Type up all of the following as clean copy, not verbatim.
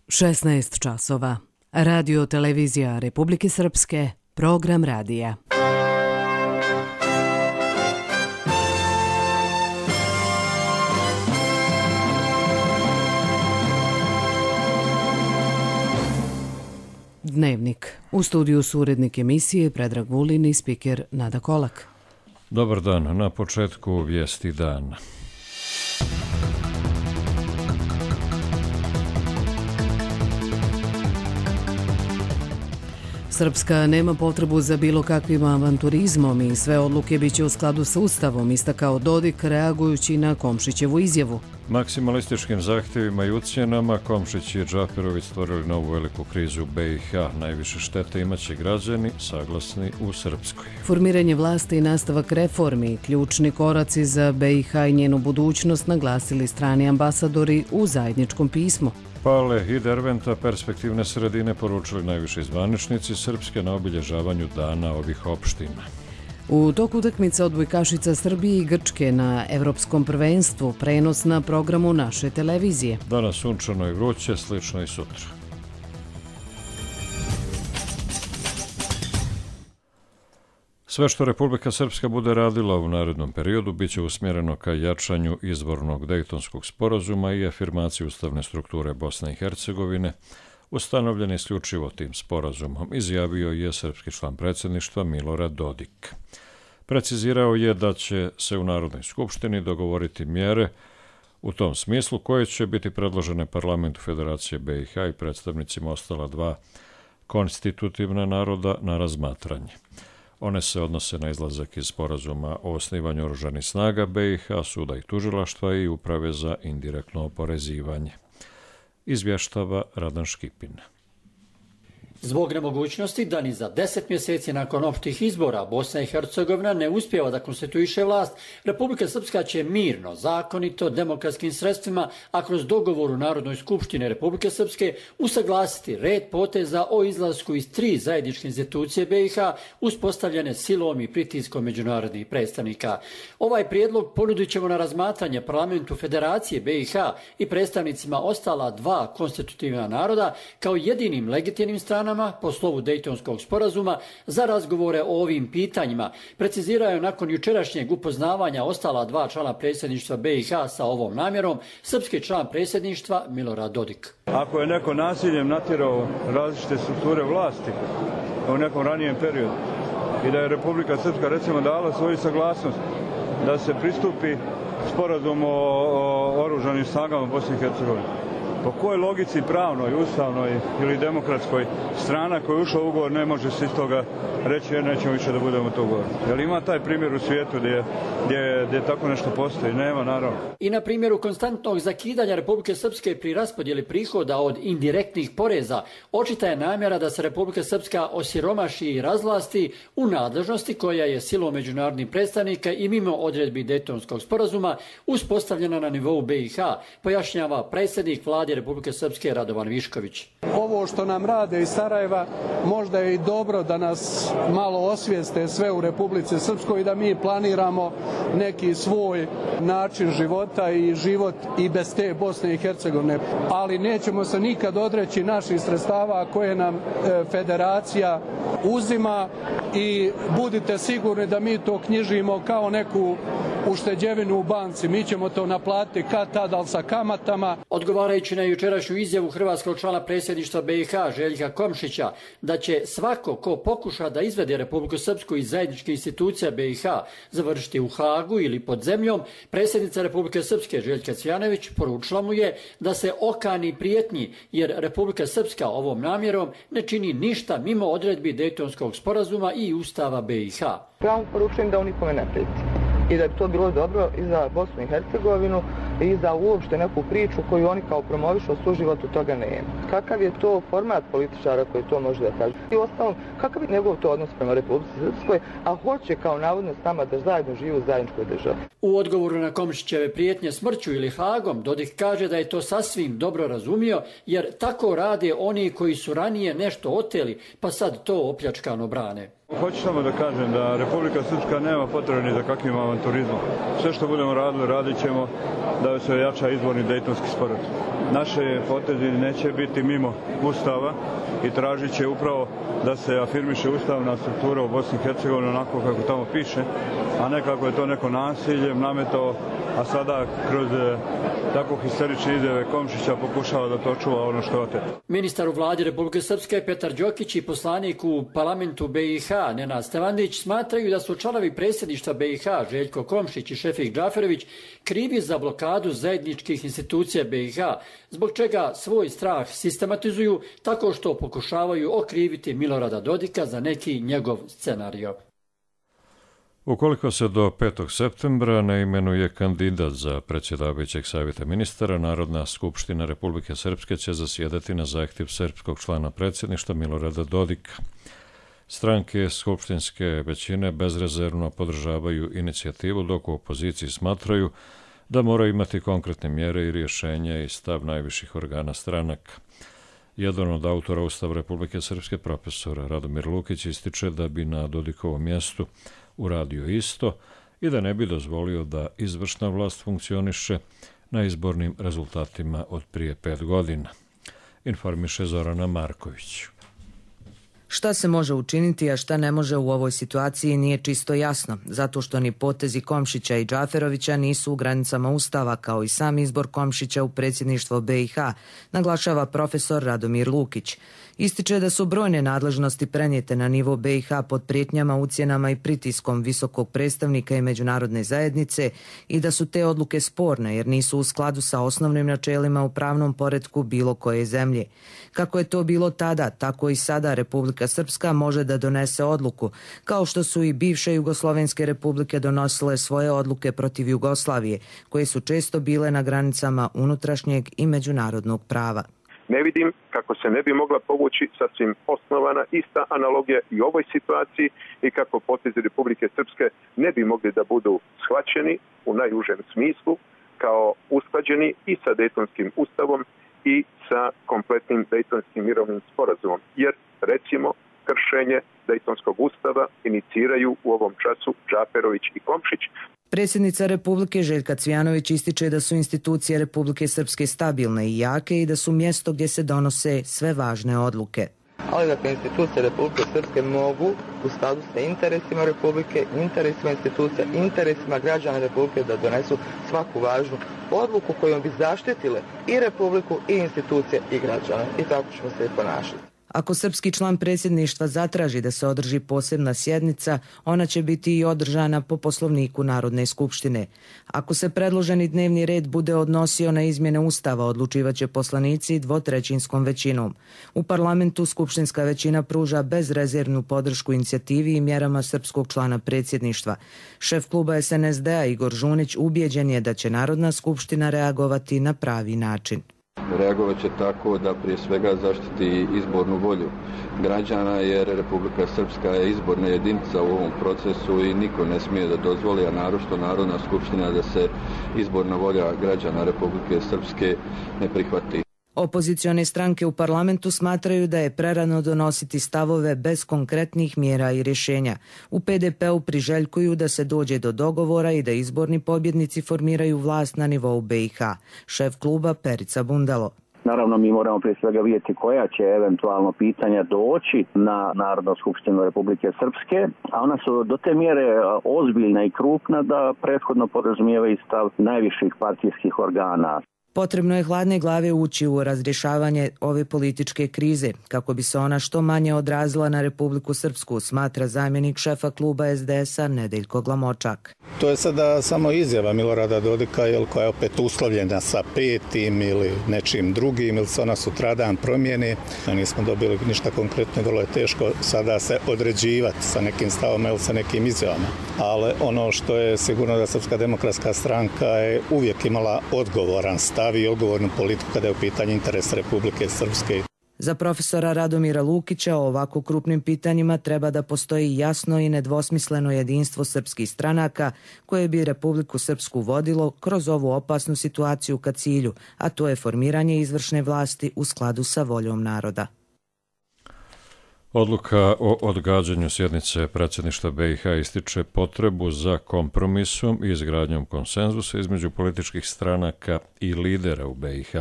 16 časova. Radio televizija Republike Srpske, program radija. Dnevnik. U studiju su urednik emisije Predrag Vulin i spiker Nada Kolak. Dobar dan. Na početku vijesti dana. Srpska nema potrebu za bilo kakvim avanturizmom i sve odluke biće u skladu sa Ustavom, istakao Dodik reagujući na Komšićevu izjavu. Maksimalističkim zahtjevima i ucjenama Komšić i Džaperović stvorili novu veliku krizu u BiH. Najviše štete imaće građani saglasni u Srpskoj. Formiranje vlasti i nastavak reformi, ključni koraci za BiH i njenu budućnost, naglasili strani ambasadori u zajedničkom pismu. Pale i Derventa, perspektivne sredine, poručili najviši zvaničnici Srpske na obilježavanju dana ovih opština. U toku utakmice odbojkašica Srbije i Grčke na Evropskom prvenstvu, prenos na programu naše televizije. Danas sunčano i vruće, slično i sutra. Sve što Republika Srpska bude radila u narednom periodu biće usmjereno ka jačanju izvornog Dejtonskog sporazuma i afirmaciji ustavne strukture Bosne i Hercegovine, ustanovljen isključivo tim sporazumom, izjavio je srpski član predsjedništva Milorad Dodik. Precizirao je da će se u Narodnoj skupštini dogovoriti mjere u tom smislu koje će biti predložene Parlamentu Federacije BiH i predstavnicima ostala dva konstitutivna naroda na razmatranje. One se odnose na izlazak iz sporazuma o osnivanju oružanih snaga BiH, suda i tužilaštva i uprave za indirektno oporezivanje. Izvještava Radan Škipin. Zbog nemogućnosti da ni za 10 mjeseci nakon opštih izbora Bosna i Hercegovina ne uspijeva da konstituiše vlast, Republika Srpska će mirno, zakonito, demokratskim sredstvima, a kroz dogovor u Narodnoj skupštini Republike Srpske usaglasiti red poteza o izlasku iz 3 zajedničke institucije BiH uspostavljene silom i pritiskom međunarodnih predstavnika. Ovaj prijedlog ponudit ćemo na razmatranje Parlamentu Federacije BiH i predstavnicima ostala dva konstitutivna naroda kao jedinim legitimnim stranama po slovu Dejtonskog sporazuma za razgovore o ovim pitanjima, precizirao je nakon jučerašnjeg upoznavanja ostala dva člana predsjedništva BiH sa ovom namjerom srpski član predsjedništva Milorad Dodik. Ako je neko nasiljem natjerao različite strukture vlasti u nekom ranijem periodu i da je Republika Srpska recimo dala svoju saglasnost da se pristupi sporazumu o oružanim snagama Bosne i Hercegovine, po kojoj logici pravnoj, ustavnoj ili demokratskoj strana koja je ušla u ugovor ne može se iz toga reći jer nećemo više da budemo to ugovor? Jel ima taj primjer u svijetu gdje tako nešto postoji? Nema, naravno. I na primjeru konstantnog zakidanja Republike Srpske pri raspodjeli prihoda od indirektnih poreza, očita je namjera da se Republika Srpska osiromaši i razvlasti u nadležnosti koja je silom međunarodnih predstavnika i mimo odredbi Dejtonskog sporazuma uspostavljena na nivou BiH, pojašnjava predsjednik vlade Republike Srpske Radovan Višković. Ovo što nam rade iz Sarajeva možda je i dobro da nas malo osvijeste sve u Republici Srpskoj i da mi planiramo neki svoj način života i život i bez te Bosne i Hercegovine. Ali nećemo se nikad odreći naših sredstava koje nam federacija uzima i budite sigurni da mi to knjižimo kao neku ušteđevinu u banci. Mi ćemo to naplatiti kad tad, ali sa kamatama. Odgovarajući na jučerašnju izjavu hrvatskog člana predsjedništva BiH Željka Komšića da će svako ko pokuša da izvede Republiku Srpsku iz zajedničkih institucija BiH završiti u Hagu ili pod zemljom, predsjednica Republike Srpske Željka Cvjanović poručila mu je da se okani prijetnji jer Republika Srpska ovom namjerom ne čini ništa mimo odredbi Dejtonskog sporazuma i Ustava BiH. Ja mu poručujem da on nikome ne prijeti i da bi to bilo dobro i za Bosnu i Hercegovinu i za uopšte neku priču koju oni kao promovišu, u suživotu toga nema. Kakav je to format političara koji to može da kaže? I ostalom, kakav je njegov to odnos prema Republici Srpskoj, a hoće kao navodno s nama da zajedno žive u zajedničkoj državi? U odgovoru na Komšićeve prijetnje smrću ili Hagom, Dodik kaže da je to sasvim dobro razumio, jer tako rade oni koji su ranije nešto oteli, pa sad to opljačkano brane. Hoću samo da kažem da Republika Srpska nema potrebe ni za kakvim avanturizmom. Sve što budemo radili, radit ćemo da se ojača izborni Dejtonski sporazum. Naše potezi neće biti mimo Ustava i tražit će upravo da se afirmiše ustavna struktura u Bosni i Hercegovini onako kako tamo piše, a ne kako je to neko nasiljem nametao, a sada kroz tako histerične izjave Komšića pokušava da to čuva ono što je oteto. Ministar u vladi Republike Srpske Petar Đokić i poslanik u parlamentu BiH Nenad Stevandić smatraju da su članovi predsjedništva BiH Željko Komšić i Šefik Džaferović krivi za blokadu zajedničkih institucija BiH, zbog čega svoj strah sistematizuju tako što pokušavaju okriviti Milorada Dodika za neki njegov scenario. Ukoliko se do 5. septembra ne imenuje kandidat za predsjedavajućeg savjeta ministara, Narodna skupština Republike Srpske će zasjedati na zahtjev srpskog člana predsjedništva Milorada Dodika. Stranke skupštinske većine bezrezervno podržavaju inicijativu, dok u opoziciji smatraju da moraju imati konkretne mjere i rješenja i stav najviših organa stranaka. Jedan od autora Ustava Republike Srpske, profesor Radomir Lukić, ističe da bi na Dodikovom mjestu uradio isto i da ne bi dozvolio da izvršna vlast funkcioniše na izbornim rezultatima od prije 5 godina. Informiše Zorana Marković. Šta se može učiniti, a šta ne može u ovoj situaciji nije čisto jasno, zato što ni potezi Komšića i Džaferovića nisu u granicama Ustava, kao i sam izbor Komšića u predsjedništvo BiH, naglašava profesor Radomir Lukić. Ističe da su brojne nadležnosti prenijete na nivo BiH pod prijetnjama, ucjenama i pritiskom visokog predstavnika i međunarodne zajednice i da su te odluke sporne jer nisu u skladu sa osnovnim načelima u pravnom poretku bilo koje zemlje. Kako je to bilo tada, tako i sada Republika Srpska može da donese odluku, kao što su i bivše jugoslovenske republike donosile svoje odluke protiv Jugoslavije, koje su često bile na granicama unutrašnjeg i međunarodnog prava. Ne vidim kako se ne bi mogla povući sasvim osnovana ista analogija i u ovoj situaciji i kako potezi Republike Srpske ne bi mogli da budu shvaćeni u najužem smislu kao usklađeni i sa Dejtonskim ustavom i sa kompletnim Dejtonskim mirovnim sporazumom. Jer, recimo, kršenje Dejtonskog ustava iniciraju u ovom času Džaferović i Komšić. Predsjednica Republike Željka Cvijanović ističe da su institucije Republike Srpske stabilne i jake i da su mjesto gdje se donose sve važne odluke. Ali dakle, institucije Republike Srpske mogu u skladu sa interesima Republike, interesima institucija, interesima građana Republike da donesu svaku važnu odluku kojom bi zaštitile i Republiku i institucije i građane. I tako ćemo se i ponašati. Ako srpski član predsjedništva zatraži da se održi posebna sjednica, ona će biti i održana po poslovniku Narodne skupštine. Ako se predloženi dnevni red bude odnosio na izmjene Ustava, odlučivaće poslanici 2/3 većinom. U parlamentu skupštinska većina pruža bezrezervnu podršku inicijativi i mjerama srpskog člana predsjedništva. Šef kluba SNSD-a Igor Žunić ubijeđen je da će Narodna skupština reagovati na pravi način. Reagovat će tako da prije svega zaštiti izbornu volju građana, jer Republika Srpska je izborna jedinica u ovom procesu i niko ne smije da dozvoli, a naročito Narodna skupština, da se izborna volja građana Republike Srpske ne prihvati. Opozicione stranke u parlamentu smatraju da je prerano donositi stavove bez konkretnih mjera i rješenja. U PDP-u priželjkuju da se dođe do dogovora i da izborni pobjednici formiraju vlast na nivou BiH. Šef kluba Perica Bundalo. Naravno, mi moramo prije svega vidjeti koja će eventualno pitanja doći na Narodnu skupštinu Republike Srpske, a ona su do te mjere ozbiljna i krupna da prethodno podrazumijevaju stav najviših partijskih organa. Potrebno je hladne glave ući u razrješavanje ove političke krize, kako bi se ona što manje odrazila na Republiku Srpsku, smatra zamjenik šefa kluba SDS-a Nedeljko Glamočak. To je sada samo izjava Milorada Dodika, koja je opet uslovljena sa 5. ili nečim drugim, ili se ona sutradan promijeni. Nismo dobili ništa konkretno, vrlo je teško sada se određivati sa nekim stavom ili sa nekim izjavama. Ali ono što je sigurno da Srpska demokratska stranka je uvijek imala odgovoran stav i odgovornu politiku kada je u pitanju interes Republike Srpske. Za profesora Radomira Lukića o ovako krupnim pitanjima treba da postoji jasno i nedvosmisleno jedinstvo srpskih stranaka koje bi Republiku Srpsku vodilo kroz ovu opasnu situaciju ka cilju, a to je formiranje izvršne vlasti u skladu sa voljom naroda. Odluka o odgađanju sjednice predsjedništva BiH ističe potrebu za kompromisom i izgradnjom konsenzusa između političkih stranaka i lidera u BiH.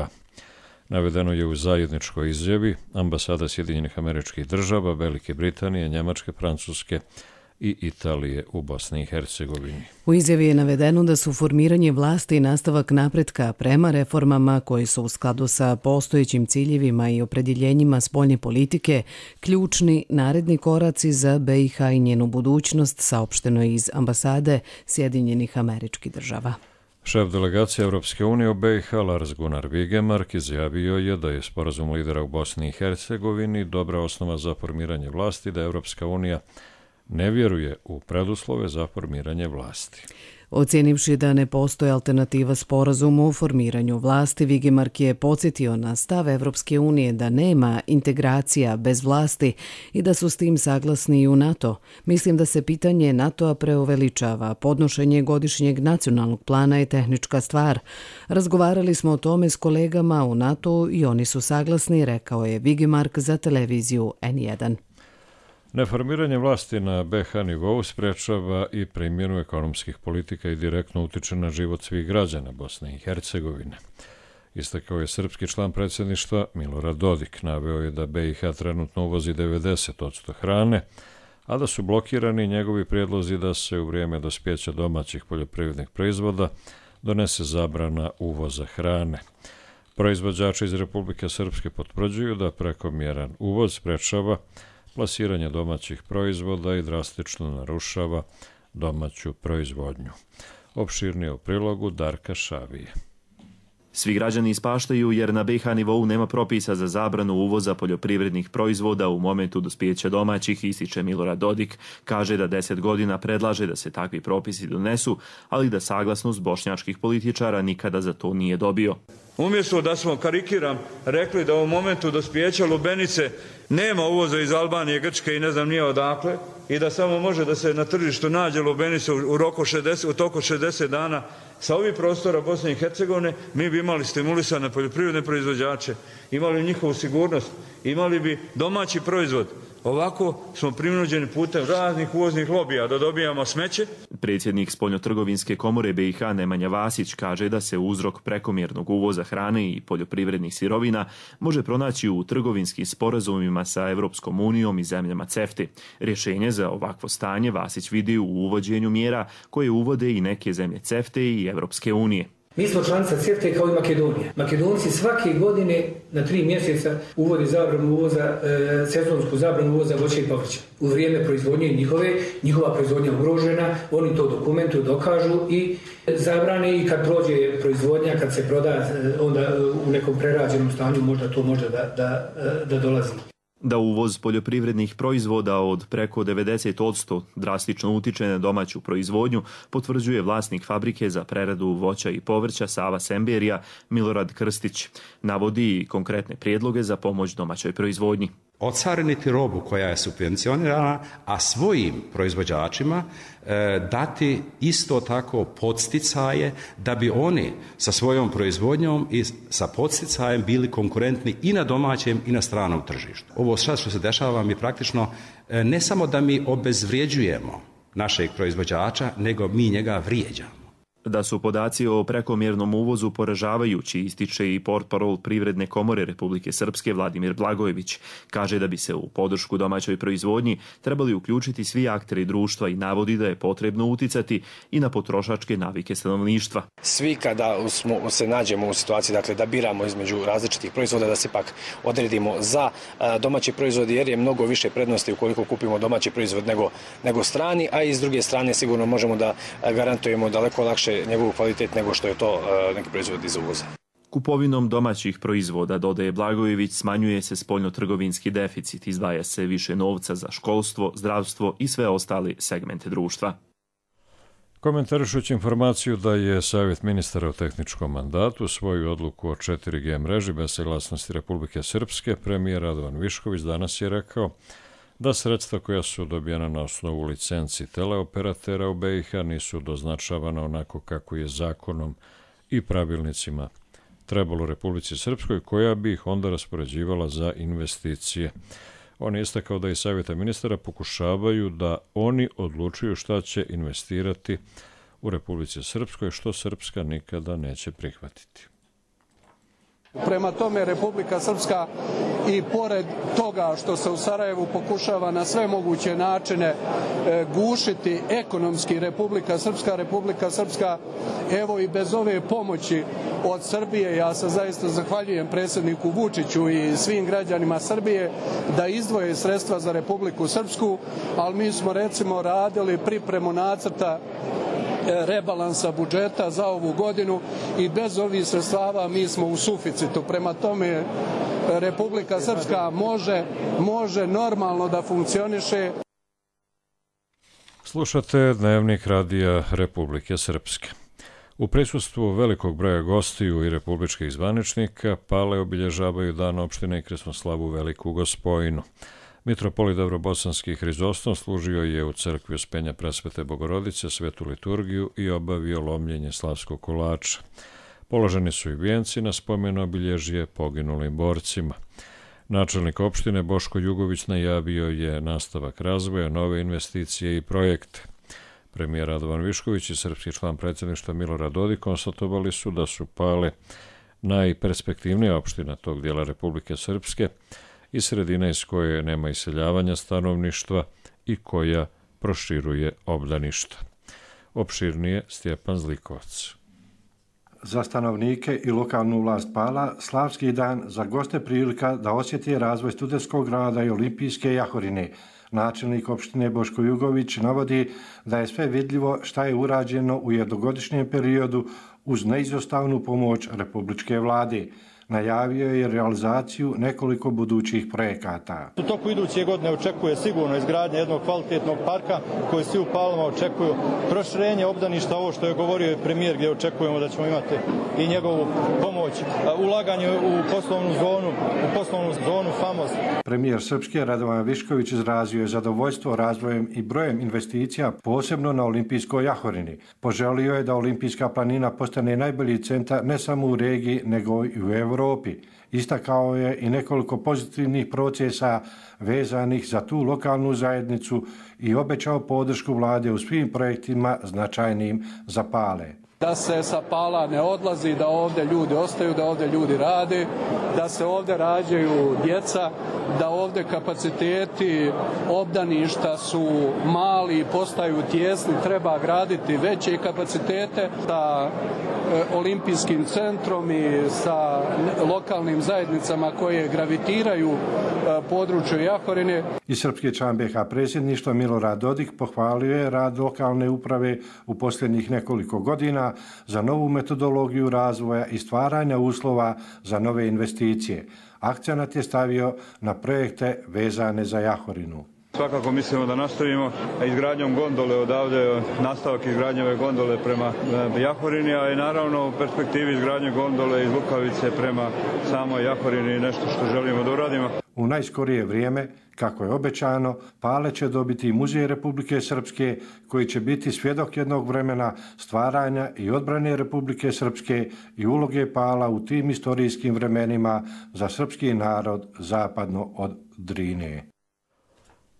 Navedeno je u zajedničkoj izjavi ambasada Sjedinjenih Američkih Država, Velike Britanije, Njemačke, Francuske i Italije u Bosni i Hercegovini. U izjavi je navedeno da su formiranje vlasti i nastavak napretka prema reformama koji su u skladu sa postojećim ciljevima i opredjeljenjima spoljne politike ključni naredni koraci za BiH i njenu budućnost, saopšteno je iz ambasade Sjedinjenih Američkih Država. Šef delegacije Europske unije u BiH Lars Gunnar Vigemark izjavio je da je sporazum lidera u Bosni i Hercegovini dobra osnova za formiranje vlasti, da Europska unija ne vjeruje u preduslove za formiranje vlasti. Ocijenivši da ne postoji alternativa sporazumu o formiranju vlasti, Vigemark je podsjetio na stav Evropske unije da nema integracija bez vlasti i da su s tim saglasni i u NATO. Mislim da se pitanje NATO-a preuveličava. Podnošenje godišnjeg nacionalnog plana je tehnička stvar. Razgovarali smo o tome s kolegama u NATO i oni su saglasni, rekao je Vigemark za televiziju N1. Neformiranje vlasti na BiH nivou sprečava i primjenu ekonomskih politika i direktno utiče na život svih građana Bosne i Hercegovine. Istakao je srpski član predsjedništva Milorad Dodik. Naveo je da BiH trenutno uvozi 90% hrane, a da su blokirani njegovi prijedlozi da se u vrijeme dospjeća domaćih poljoprivrednih proizvoda donese zabrana uvoza hrane. Proizvođači iz Republike Srpske potvrđuju da prekomjeran uvoz sprečava plasiranje domaćih proizvoda i drastično narušava domaću proizvodnju. Opširnije u prilogu Darka Šavije. Svi građani ispaštaju jer na BiH nivou nema propisa za zabranu uvoza poljoprivrednih proizvoda u momentu dospijeća domaćih, ističe Milorad Dodik. Kaže da 10 godina predlaže da se takvi propisi donesu, ali da saglasnost bošnjačkih političara nikada za to nije dobio. Umjesto da smo, karikiram, rekli da u momentu dospijeća lubenice nema uvoza iz Albanije, Grčke i ne znam nije odakle i da samo može da se na tržištu nađe lubenice u toku 60 dana, sa ovih prostora Bosne i Hercegovine mi bi imali stimulisane poljoprivredne proizvođače, imali njihovu sigurnost, imali bi domaći proizvod. Ovako smo prinuđeni putem raznih uvoznih lobija da dobijamo smeće. Predsjednik Spoljnotrgovinske komore BiH Nemanja Vasić kaže da se uzrok prekomjernog uvoza hrane i poljoprivrednih sirovina može pronaći u trgovinskim sporazumima sa Evropskom unijom i zemljama CEFTA. Rješenje za ovakvo stanje Vasić vidi u uvođenju mjera koje uvode i neke zemlje CEFTA i Evropske unije. Mi smo članica CEFTA kao i Makedonija. Makedonci svake godine na 3 mjeseca uvode zabranu uvoza, sezonsku zabranu uvoza voća i povrća. U vrijeme proizvodnje njihova proizvodnja ugrožena, oni to dokumentuju, dokažu i zabrane i kad prođe proizvodnja, kad se proda, onda u nekom prerađenom stanju možda to može da dolazi. Da uvoz poljoprivrednih proizvoda od preko 90% drastično utiče na domaću proizvodnju, potvrđuje vlasnik fabrike za preradu voća i povrća Sava Semberija Milorad Krstić. Navodi i konkretne prijedloge za pomoć domaćoj proizvodnji. Ocariniti robu koja je subvencionirana, a svojim proizvođačima dati isto tako podsticaje da bi oni sa svojom proizvodnjom i sa podsticajem bili konkurentni i na domaćem i na stranom tržištu. Ovo što se dešava mi praktično ne samo da mi obezvrijeđujemo našeg proizvođača, nego mi njega vrijeđamo. Da su podaci o prekomjernom uvozu poražavajući, ističe i portparol Privredne komore Republike Srpske Vladimir Blagojević. Kaže da bi se u podršku domaćoj proizvodnji trebali uključiti svi akteri društva i navodi da je potrebno uticati i na potrošačke navike stanovništva. Svi kada se nađemo u situaciji da biramo između različitih proizvoda, da se pak odredimo za domaći proizvod jer je mnogo više prednosti ukoliko kupimo domaći proizvod nego strani, a i s druge strane sigurno možemo da garantujemo daleko lakše njegov kvalitet nego što je to neki proizvod iz uvoza. Kupovinom domaćih proizvoda, dodaje Blagojević, smanjuje se spoljnotrgovinski deficit, izdvaja se više novca za školstvo, zdravstvo i sve ostale segmente društva. Komentarišući informaciju da je Savjet ministara u tehničkom mandatu svoju odluku o 4G mreži bez saglasnosti Republike Srpske, premijer Radovan Višković danas je rekao da sredstva koja su dobijena na osnovu licenci teleoperatera u BiH nisu doznačavana onako kako je zakonom i pravilnicima trebalo Republici Srpskoj, koja bi ih onda raspoređivala za investicije. On je istakao da i savjeta ministara pokušavaju da oni odlučuju šta će investirati u Republici Srpskoj, što Srpska nikada neće prihvatiti. Prema tome, Republika Srpska i pored toga što se u Sarajevu pokušava na sve moguće načine gušiti ekonomski Republika Srpska, evo i bez ove pomoći od Srbije, ja se zaista zahvaljujem predsjedniku Vučiću i svim građanima Srbije da izdvoje sredstva za Republiku Srpsku, ali mi smo recimo radili pripremu nacrta rebalansa budžeta za ovu godinu i bez ovih sredstava mi smo u suficitu. Prema tome, Republika Srpska može normalno da funkcioniše. Slušate Dnevnik radija Republike Srpske. U prisustvu velikog broja gostiju i republičkih zvaničnika Pale obilježavaju dan opštine i Krsnoslavu Veliku Gospojinu. Mitropolit Davrobosanski Hrizostom služio je u crkvi Uspenja Presvete Bogorodice svetu liturgiju i obavio lomljenje slavskog kolača. Položeni su i vijenci na spomen obilježje poginulim borcima. Načelnik opštine Boško Jugović najavio je nastavak razvoja, nove investicije i projekte. Premijer Radovan Višković i srpski član predsjedništva Milorad Dodik konstatovali su da su Pale najperspektivnija opština tog dijela Republike Srpske i sredina iz koje nema iseljavanja stanovništva i koja proširuje obdaništa. Opširnije Stjepan Zlikovac. Za stanovnike i lokalnu vlast Pala, slavski dan za goste prilika da osjeti razvoj studentskog grada i olimpijske jahorine. Načelnik opštine Boško Jugović navodi da je sve vidljivo šta je urađeno u jednogodišnjem periodu uz neizostavnu pomoć republičke vlade. Najavio je realizaciju nekoliko budućih projekata. U toku iduće godine očekuje sigurno izgradnje jednog kvalitetnog parka koji svi u Palama očekuju, proširenje obdaništa, ovo što je govorio i premijer gdje očekujemo da ćemo imati i njegovu pomoć, ulaganje u poslovnu zonu Famos. Premijer Srpske Radovan Višković izrazio je zadovoljstvo razvojem i brojem investicija, posebno na olimpijskoj jahorini. Poželio je da olimpijska planina postane najbolji centar ne samo u regiji, nego i u Evropi. Istakao je i nekoliko pozitivnih procesa vezanih za tu lokalnu zajednicu i obećao podršku vlade u svim projektima značajnim za Pale. Da se sa Pala ne odlazi, da ovdje ljudi ostaju, da ovdje ljudi rade, da se ovdje rađaju djeca, da ovdje kapaciteti obdaništa su mali, postaju tjesni, treba graditi veće kapacitete sa olimpijskim centrom i sa lokalnim zajednicama koje gravitiraju području Jahorine. I srpski član BiH predsjedništva Milorad Dodik pohvalio je rad lokalne uprave u posljednjih nekoliko godina za novu metodologiju razvoja i stvaranja uslova za nove investicije. Akcenat je stavio na projekte vezane za Jahorinu. Svakako mislimo da nastavimo izgradnjom gondole odavde, nastavak izgradnje ove gondole prema Jahorini, a i naravno u perspektivi izgradnje gondole iz Lukavice prema samoj Jahorini nešto što želimo da uradimo. U najskorije vrijeme, kako je obećano, Pale će dobiti Muzej Republike Srpske, koji će biti svjedok jednog vremena stvaranja i odbrane Republike Srpske i uloge Pala u tim istorijskim vremenima za srpski narod zapadno od Drine.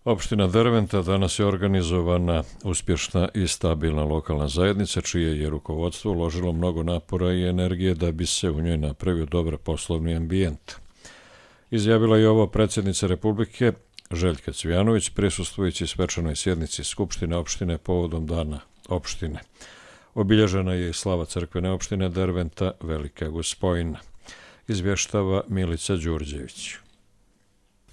Opština Derventa danas je organizovana uspješna i stabilna lokalna zajednica, čije je rukovodstvo uložilo mnogo napora i energije da bi se u njoj napravio dobar poslovni ambijent. Izjavila je ovo predsjednica Republike Željka Cvijanović prisustvujući svečanoj sjednici Skupštine opštine povodom dana opštine. Obilježena je i slava crkvene opštine Derventa Velika Gospojina. Izvještava Milica Đurđević.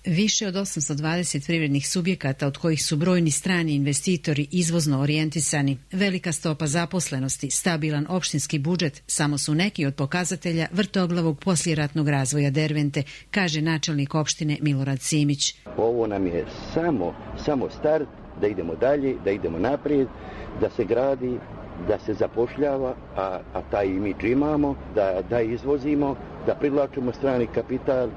Više od 820 privrednih subjekata, od kojih su brojni strani investitori izvozno orijentisani, velika stopa zaposlenosti, stabilan opštinski budžet, samo su neki od pokazatelja vrtoglavog poslijeratnog razvoja Dervente, kaže načelnik opštine Milorad Simić. Ovo nam je samo start, da idemo dalje, da idemo naprijed, da se gradi, da se zapošljava, a taj imidž imamo, da izvozimo, da privlačimo strani kapital,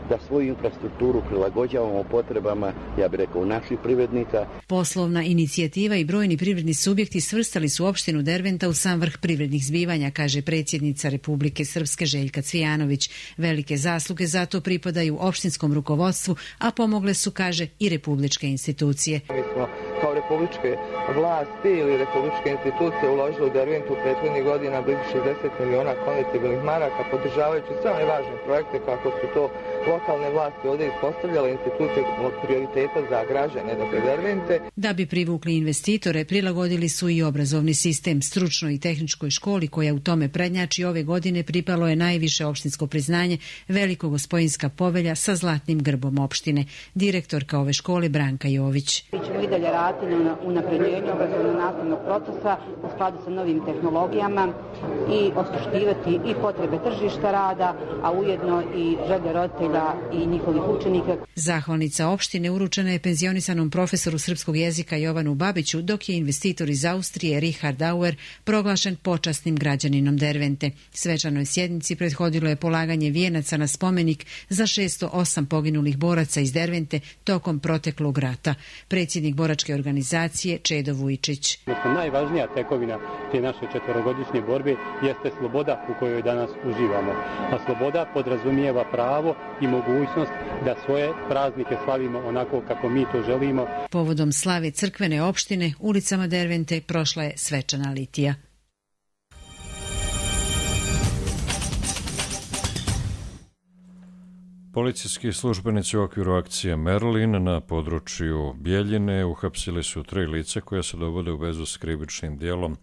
da svoju infrastrukturu prilagođavamo potrebama, ja bih rekao, naših privrednika. Poslovna inicijativa i brojni privredni subjekti svrstali su opštinu Derventa u sam vrh privrednih zbivanja, kaže predsjednica Republike Srpske Željka Cvijanović. Velike zasluge zato pripadaju opštinskom rukovodstvu, a pomogle su, kaže, i republičke institucije. Mi smo kao republičke vlasti ili republičke institucije uložili u Derventu u prethodnih godina blizu 60 miliona konvertibilnih maraka, podržavajući sve one važne projekte kako su to lokalne vlasti ovdje ispostavljale, institucije od prioriteta za građane, dakle Dervente. Da bi privukli investitore, prilagodili su i obrazovni sistem. Stručnoj i tehničkoj školi koja u tome prednjači ove godine pripalo je najviše opštinsko priznanje Velikogospojinska povelja sa zlatnim grbom opštine. Direktorka ove škole Branka Jović. Mi ćemo i dalje raditi na unapređenju obrazovno-nastavnog procesa u skladu sa novim tehnologijama i osluškivati i potrebe tržišta rada, a ujedno i želje roditelja i njihovih učenika. Zahvalnica opštine uručena je penzionisanom profesoru srpskog jezika Jovanu Babiću, dok je investitor iz Austrije Richard Auer proglašen počasnim građaninom Dervente. Svečanoj sjednici prethodilo je polaganje vijenaca na spomenik za 608 poginulih boraca iz Dervente tokom proteklog rata. Predsjednik boračke organizacije Čedo Vujčić. Najvažnija tekovina te naše četverogodišnje borbe jeste sloboda u kojoj danas uživamo. A sloboda podrazumijeva pravo i mogućnost da svoje praznike slavimo onako kako mi to želimo. Povodom slave crkvene opštine ulicama Dervente prošla je svečana litija. Policijski službenici u okviru akcije Merlin na području Bjeljine uhapsili su 3 lica koja se dovode u vezu s krivičnim djelom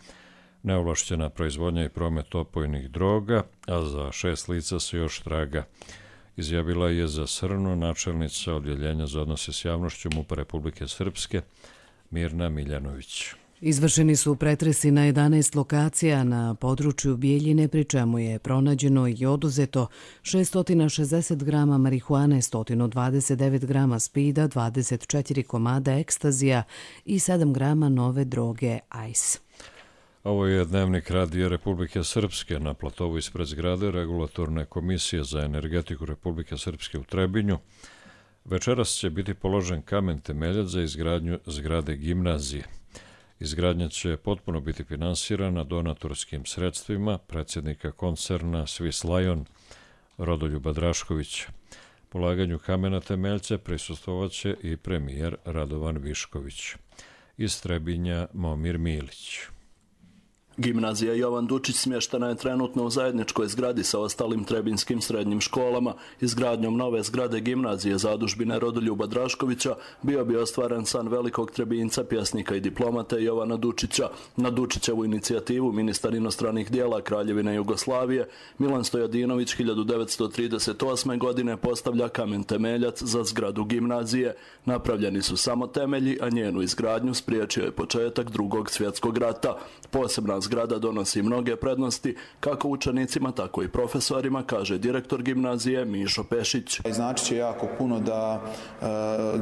neovlašćena proizvodnja i promet opojnih droga, a za 6 lica se još traga. Izjavila je za Srno načelnica Odjeljenja za odnose s javnošću MUP-a Republike Srpske Mirna Miljanović. Izvršeni su pretresi na 11 lokacija na području Bjeljine, pri čemu je pronađeno i oduzeto 660 grama marihuane, 129 grama spida, 24 komada ekstazija i 7 grama nove droge ice. Ovo je dnevnik Radija Republike Srpske. Na platovu ispred zgrade Regulatorne komisije za energetiku Republike Srpske u Trebinju večeras će biti položen kamen temeljac za izgradnju zgrade gimnazije. Izgradnja će potpuno biti finansirana donatorskim sredstvima predsjednika koncerna Swiss Lion Rodoljuba Draškovića. Polaganju kamena temeljca prisustvovaće i premijer Radovan Višković. Iz Trebinja Momir Milić. Gimnazija Jovan Dučić smještena je trenutno u zajedničkoj zgradi sa ostalim trebinskim srednjim školama. Izgradnjom nove zgrade gimnazije zadužbine Rodoljuba Draškovića bio bi ostvaren san velikog Trebinca, pjesnika i diplomate Jovana Dučića. Na Dučićevu inicijativu ministar inostranih dijela Kraljevine Jugoslavije Milan Stojadinović 1938. godine postavlja kamen temeljac za zgradu gimnazije. Napravljeni su samo temelji, a njenu izgradnju spriječio je početak Drugog svjetskog rata. Posebna zgrada donosi mnoge prednosti kako učenicima, tako i profesorima, kaže direktor gimnazije Mišo Pešić. Znači će jako puno da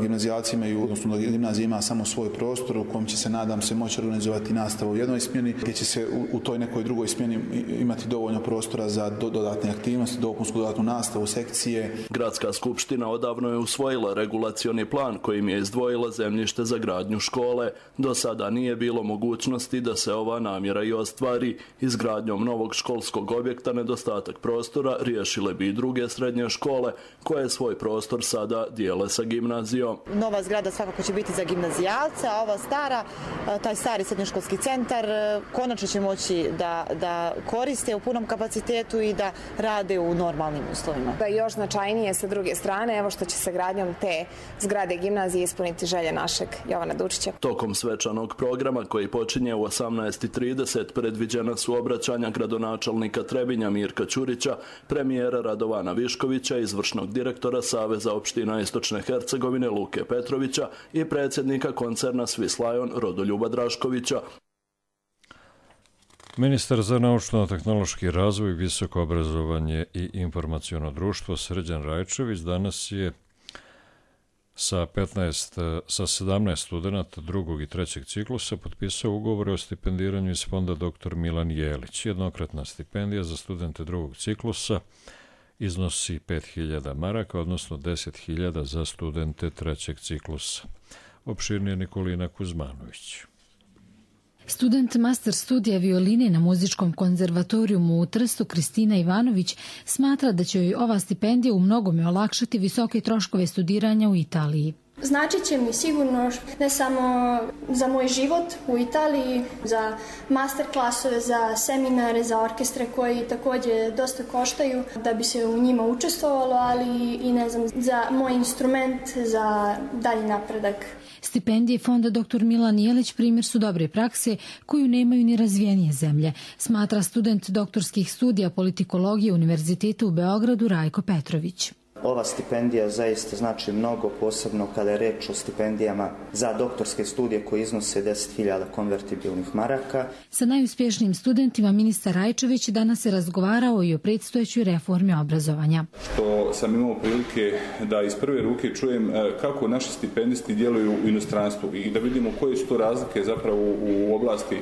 gimnazijalci imaju, odnosno da gimnazija ima samo svoj prostor u kojem će se, nadam se, moći organizovati nastavu u jednoj smjeni, gdje će se u toj nekoj drugoj smjeni imati dovoljno prostora za dodatne aktivnosti, dopunsku dodatnu nastavu, sekcije. Gradska skupština odavno je usvojila regulacioni plan kojim je izdvojila zemljište za gradnju škole. Do sada nije bilo mogućnosti da se ova namjera i ostvari. Izgradnjom novog školskog objekta nedostatak prostora riješile bi i druge srednje škole koje svoj prostor sada dijele sa gimnazijom. Nova zgrada svakako će biti za gimnazijalce, a ova stara, taj stari srednjoškolski centar, konačno će moći da koriste u punom kapacitetu i da rade u normalnim uslovima. Da je još značajnije sa druge strane, evo što će se gradnjom te zgrade gimnazije ispuniti želje našeg Jovana Dučića. Tokom svečanog programa koji počinje u 18:30 predviđena su obraćanja gradonačelnika Trebinja Mirka Ćurića, premijera Radovana Viškovića, izvršnog direktora Saveza opština Istočne Hercegovine Luke Petrovića i predsjednika koncerna Swiss Lion Rodoljuba Draškovića. Ministar za naučno-tehnološki razvoj, visoko obrazovanje i informaciono društvo Srđan Rajčević danas je sa 17 studenata drugog i trećeg ciklusa potpisao ugovore o stipendiranju iz fonda dr. Milan Jelić. Jednokratna stipendija za studente drugog ciklusa iznosi 5.000 maraka, odnosno 10.000 za studente trećeg ciklusa. Opširnije Nikolina Kuzmanović. Student master studija violine na muzičkom konzervatorijumu u Trstu Kristina Ivanović smatra da će joj ova stipendija u mnogome olakšati visoke troškove studiranja u Italiji. Značit će mi sigurno ne samo za moj život u Italiji, za master klasove, za seminare, za orkestre koji također dosta koštaju da bi se u njima učestvovalo, ali i ne znam, za moj instrument, za dalji napredak. Stipendije fonda dr. Milan Jelić primjer su dobre prakse koju nemaju ni razvijenije zemlje, smatra student doktorskih studija politikologije Univerziteta u Beogradu Rajko Petrović. Ova stipendija zaista znači mnogo, posebno kada je reč o stipendijama za doktorske studije koje iznose 10.000 konvertibilnih maraka. Sa najuspješnijim studentima ministar Rajčević danas je razgovarao i o predstojećoj reformi obrazovanja. Što sam imao prilike da iz prve ruke čujem kako naši stipendisti djeluju u inostranstvu i da vidimo koje su to razlike zapravo u oblasti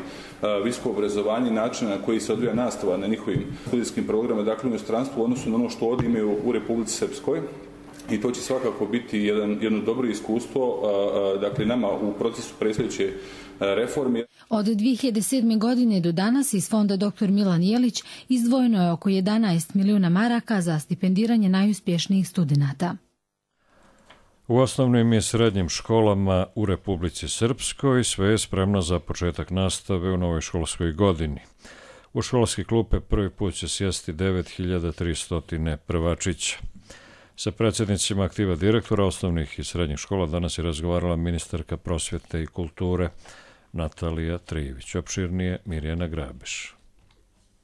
visokog obrazovanja i načina na koji se odvija nastava na njihovim studijskim programima, dakle u inostranstvu, u odnosu na ono što ovdje imaju u Republici Srpskoj. I to će svakako biti jedno dobro iskustvo, dakle nama u procesu predstojeće reforme. Od 2007. godine do danas iz fonda dr. Milan Jelić izdvojeno je oko 11 milijuna maraka za stipendiranje najuspješnijih studenata. U osnovnim i srednjim školama u Republici Srpskoj sve je spremno za početak nastave u novoj školskoj godini. U školske klupe prvi put će sjesti 9.300 prvačića. Sa predsjednicima aktiva direktora osnovnih i srednjih škola danas je razgovarala ministarka prosvjete i kulture Natalija Trijević. Opširnije Mirjana Grabeš.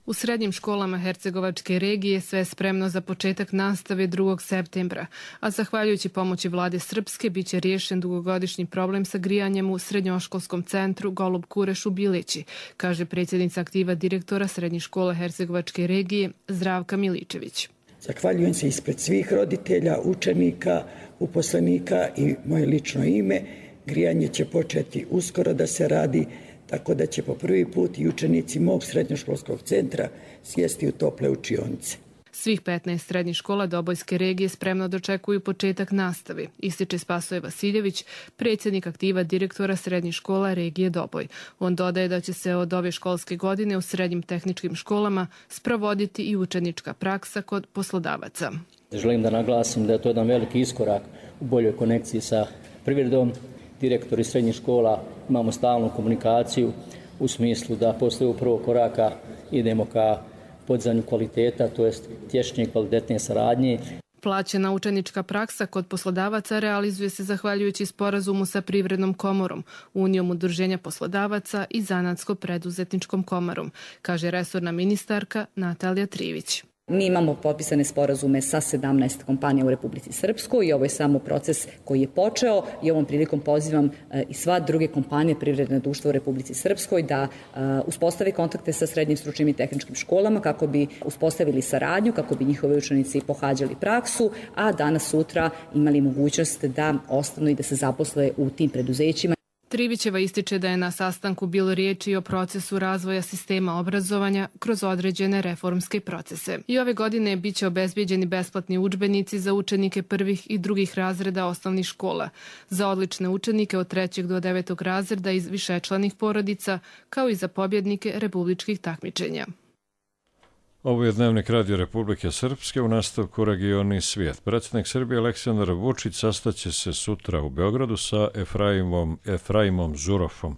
U srednjim školama Hercegovačke regije sve je spremno za početak nastave 2. septembra, a zahvaljujući pomoći vlade Srpske bit će riješen dugogodišnji problem sa grijanjem u srednjoškolskom centru Golub Kureš u Bilići, kaže predsjednica aktiva direktora srednjih škola Hercegovačke regije Zdravka Miličević. Zahvaljujem se ispred svih roditelja, učenika, uposlenika i moje lično ime. Grijanje će početi uskoro da se radi, tako da će po prvi put i učenici mog srednjoškolskog centra sjesti u tople učionice. Svih 15 srednjih škola Dobojske regije spremno dočekuju početak nastave, ističe Spasoje Vasiljević, predsjednik aktiva direktora srednjih škola regije Doboj. On dodaje da će se od ove školske godine u srednjim tehničkim školama sprovoditi i učenička praksa kod poslodavaca. Želim da naglasim da je to jedan veliki iskorak u boljoj konekciji sa privredom. Direktori srednjih škola imamo stalnu komunikaciju u smislu da posle ovog prvog koraka idemo ka podizanju kvaliteta, to jest tješnje i kvalitetnije saradnje. Plaćena učenička praksa kod poslodavaca realizuje se zahvaljujući sporazumu sa Privrednom komorom, Unijom udruženja poslodavaca i Zanatsko-preduzetničkom komorom, kaže resorna ministarka Natalija Trijević. Mi imamo potpisane sporazume sa 17 kompanija u Republici Srpskoj i ovo je samo proces koji je počeo i ovom prilikom pozivam i sva druge kompanije privredne društva u Republici Srpskoj da uspostave kontakte sa srednjim stručnim i tehničkim školama kako bi uspostavili saradnju, kako bi njihovi učenici pohađali praksu, a danas sutra imali mogućnost da ostanu i da se zaposle u tim preduzećima. Trivićeva ističe da je na sastanku bilo riječi i o procesu razvoja sistema obrazovanja kroz određene reformske procese. I ove godine bit će obezbijeđeni besplatni udžbenici za učenike prvih i drugih razreda osnovnih škola, za odlične učenike od 3. do 9. razreda iz višečlanih porodica, kao i za pobjednike republičkih takmičenja. Ovo je Dnevnik Radio Republike Srpske, u nastavku Regioni svijet. Predsjednik Srbije Aleksandar Vučić sastaće se sutra u Beogradu sa Efraimom Zurofom,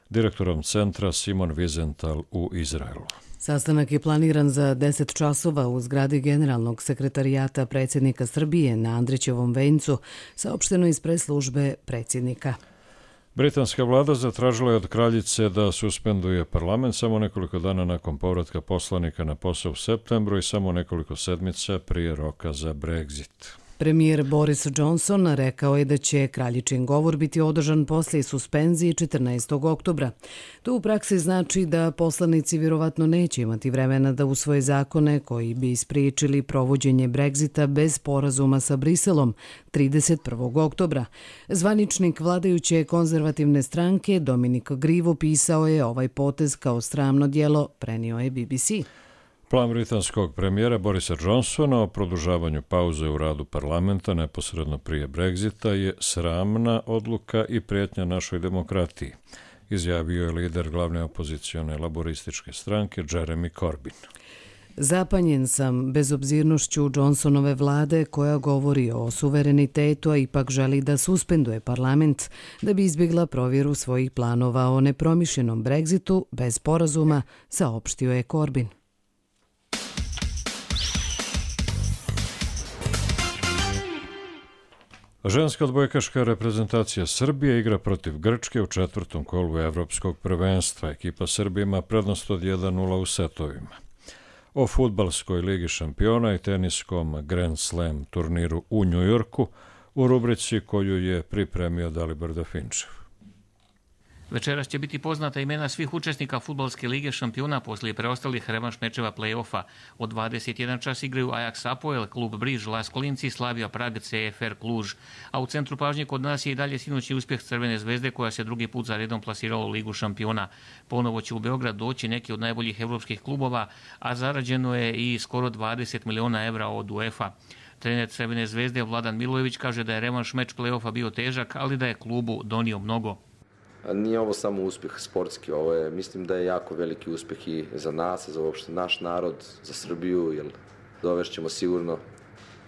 direktorom centra Simon Wiesenthal u Izraelu. Sastanak je planiran za 10 časova u zgradi Generalnog sekretarijata predsjednika Srbije na Andrićevom vencu, saopšteno iz press-službe predsjednika. Britanska vlada zatražila je od kraljice da suspenduje parlament samo nekoliko dana nakon povratka poslanika na posao u septembru i samo nekoliko sedmica prije roka za Brexit. Premijer Boris Johnson rekao je da će kraljičin govor biti održan poslije suspenzije 14. oktobra. To u praksi znači da poslanici vjerovatno neće imati vremena da usvoje zakone koji bi ispriječili provođenje Brexita bez sporazuma sa Briselom 31. oktobra. Zvaničnik vladajuće konzervativne stranke Dominik Grivo pisao je ovaj potez kao sramno djelo, prenio je BBC. Plan britanskog premijera Borisa Johnsona o produžavanju pauze u radu parlamenta neposredno prije Brexita je sramna odluka i prijetnja našoj demokratiji, izjavio je lider glavne opozicione laborističke stranke Jeremy Corbyn. Zapanjen sam bezobzirnošću Johnsonove vlade koja govori o suverenitetu, a ipak želi da suspenduje parlament da bi izbjegla provjeru svojih planova o nepromišljenom Brexitu bez sporazuma, saopštio je Corbyn. Ženska odbojkaška reprezentacija Srbije igra protiv Grčke u 4. kolu Evropskog prvenstva. Ekipa Srbije ima prednost od 1-0 u setovima. O fudbalskoj ligi šampiona i teniskom Grand Slam turniru u Njujorku u rubrici koju je pripremio Dalibor Dafinčev. Večeras će biti poznata imena svih učesnika fudbalske lige šampiona poslije preostalih revanš mečeva play-offa. Od 21 čas igraju Ajax Apoel, klub Briž, Las Kolinci, Slavia Prag, CFR Kluž. A u centru pažnje kod nas je i dalje sinoćni uspjeh Crvene zvezde koja se drugi put za redom plasirala u ligu šampiona. Ponovo će u Beograd doći neki od najboljih evropskih klubova, a zarađeno je i skoro 20 miliona evra od UEFA. Trener Crvene zvezde Vladan Milojević kaže da je revanš meč play-offa bio težak, ali da je klubu donio mnogo. Nije ovo samo uspjeh sportski, ovo je, mislim da je jako veliki uspjeh i za nas, za uopšte naš narod, za Srbiju, jer dovešćemo sigurno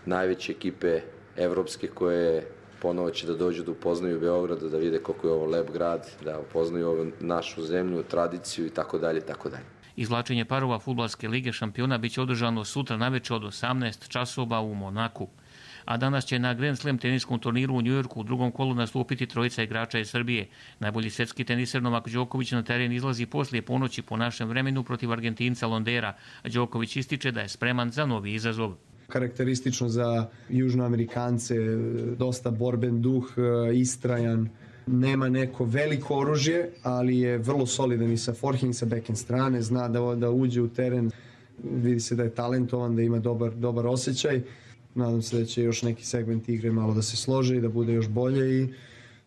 najveće ekipe evropske koje ponovo će da dođu da upoznaju Beograd, da vide koliko je ovo lep grad, da upoznaju ovu našu zemlju, tradiciju i tako dalje, tako dalje. Izvlačenje parova fudbalske lige šampiona biće održano sutra navečer od 18 časova u Monaku. A danas će na Grand Slam teniskom turniru u Njujorku u drugom kolu nastupiti trojica igrača iz Srbije. Najbolji svetski teniser Novak Đoković na teren izlazi poslije ponoći po našem vremenu protiv Argentinca Londera. Đoković ističe da je spreman za novi izazov. Karakteristično za Južnoamerikance, dosta borben duh, istrajan. Nema neko veliko oružje, ali je vrlo solidan i sa forehand i sa backhand strane. Zna da uđe u teren, vidi se da je talentovan, da ima dobar osjećaj. Nadam se da će još neki segment igre malo da se slože i da bude još bolje i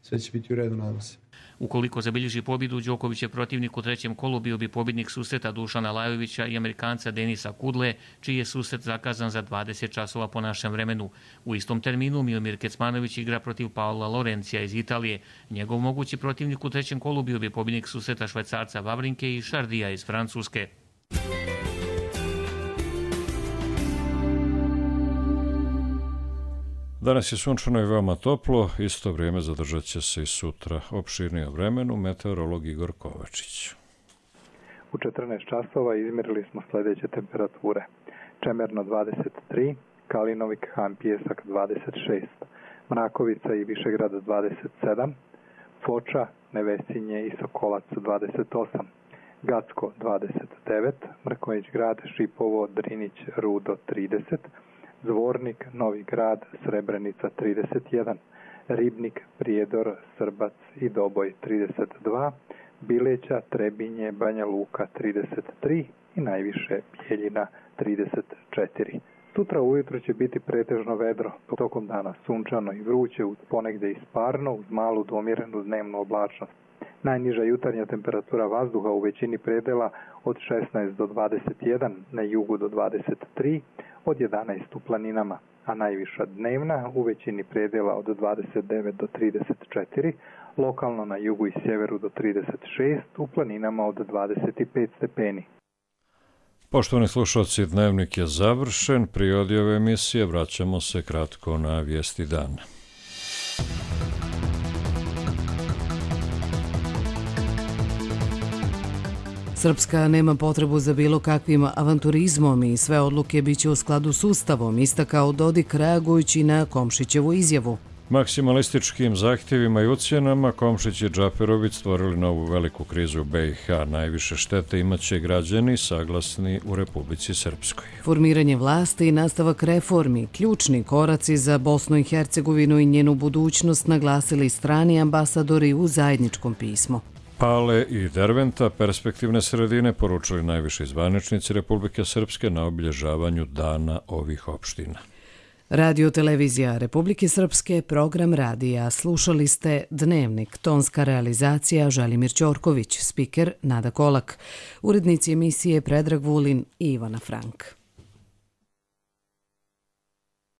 sve će biti u redu, nadam se. Ukoliko zabilježi pobjedu, Đoković je protivnik u trećem kolu, bio bi pobjednik susreta Dušana Lajovića i Amerikanca Denisa Kudle, čiji je susret zakazan za 20 časova po našem vremenu. U istom terminu Miomir Kecmanović igra protiv Paola Lorencija iz Italije. Njegov mogući protivnik u trećem kolu bio bi pobjednik susreta Švajcarca Vavrinke i Šardija iz Francuske. Danas je sunčano i veoma toplo, isto vrijeme zadržat će se i sutra. Opširnije o vremenu, meteorolog Igor Kovačić. U 14 časova izmjerili smo sljedeće temperature. Čemerno 23, Kalinovik, Han Pijesak 26, Mrakovica i Višegrad 27, Foča, Nevesinje i Sokolac 28, Gacko 29, Mrkonjić Grad, Šipovo, Drinić, Rudo 30, Zvornik, Novi Grad, Srebrenica 31, Ribnik, Prijedor, Srbac i Doboj 32, Bileća, Trebinje, Banja Luka 33 i najviše Bjeljina 34. Sutra ujutro će biti pretežno vedro, tokom dana sunčano i vruće, ponegdje isparno uz malu domjerenu dnevnu oblačnost. Najniža jutarnja temperatura vazduha u većini predela od 16 do 21, na jugu do 23, od 11 u planinama, a najviša dnevna u većini predela od 29 do 34, lokalno na jugu i sjeveru do 36, u planinama od 25 stepeni. Poštovani slušalci, dnevnik je završen. Prije ove emisije vraćamo se kratko na vijesti dana. Srpska nema potrebu za bilo kakvim avanturizmom i sve odluke biće u skladu s Ustavom, istakao Dodik reagujući na Komšićevu izjavu. Maksimalističkim zahtjevima i ucjenama Komšić i Džaperović stvorili novu veliku krizu u BiH. Najviše štete imaće građani saglasni u Republici Srpskoj. Formiranje vlasti i nastavak reformi, ključni koraci za Bosnu i Hercegovinu i njenu budućnost, naglasili strani ambasadori u zajedničkom pismu. Pale i Derventa, perspektivne sredine, poručili najviši zvaničnici Republike Srpske na obilježavanju dana ovih opština. Radio Televizija Republike Srpske, program radija. Slušali ste Dnevnik, tonska realizacija Želimir Ćorković, spiker Nada Kolak, urednici emisije Predrag Vulin i Ivana Frank.